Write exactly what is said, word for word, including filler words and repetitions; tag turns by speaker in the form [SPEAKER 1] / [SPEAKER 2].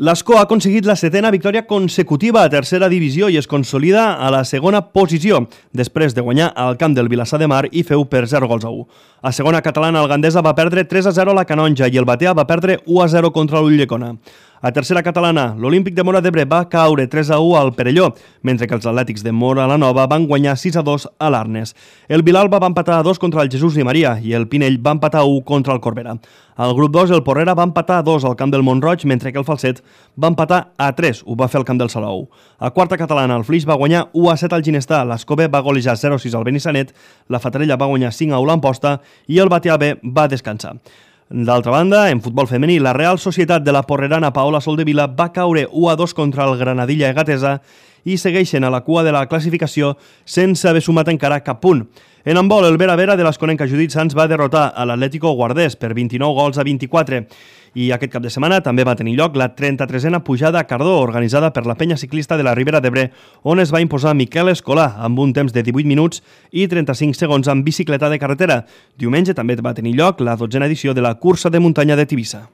[SPEAKER 1] L'Escó ha aconseguit la setena victòria consecutiva a tercera divisió i es consolida a la segona posició, després de guanyar al camp del Vilassar de Mar i feu per zero gols a u. A segona catalana, el Gandesa va perdre tres a zero a la Canonja i el Batea va perdre u a zero contra l'Ulldecona. A tercera catalana, l'Olímpic de Móra d'Ebre va caure tres a u al Perelló, mentre que els atlètics de Móra la Nova van guanyar sis a dos a l'Arnes. El Vilalba va empatar a dos contra el Jesús i Maria i el Pinell va empatar a u contra el Corbera. Al grup dos, el Porrera va empatar a dos al camp del Montroig, mentre que el Falset va empatar a tres, ho va fer al camp del Salou. A quarta catalana, el Flix va guanyar u a set al Ginestar, l'Escove va golejar zero a sis al Benissanet, la Fatarella va guanyar cinc a u l'Amposta i el Batea B va descansar. D'altra banda, en futbol femení, la Real Societat de la porrerana Paola Soldevila va caure u a dos contra el Granadilla Egatesa i segueixen a la cua de la classificació sense haver sumat encara cap punt. En handbol, el Vera Vera de l'Esconenca Judit Sans va derrotar a l'Atlético Guardés per vint-i-nou gols a vint-i-quatre. I aquest cap de setmana també va tenir lloc la trenta-tresena pujada a Cardó, organitzada per la penya ciclista de la Ribera d'Ebre, on es va imposar Miquel Escolà amb un temps de divuit minuts i trenta-cinc segons amb bicicleta de carretera. Diumenge també va tenir lloc la dotzena edició de la cursa de muntanya de Tivissa.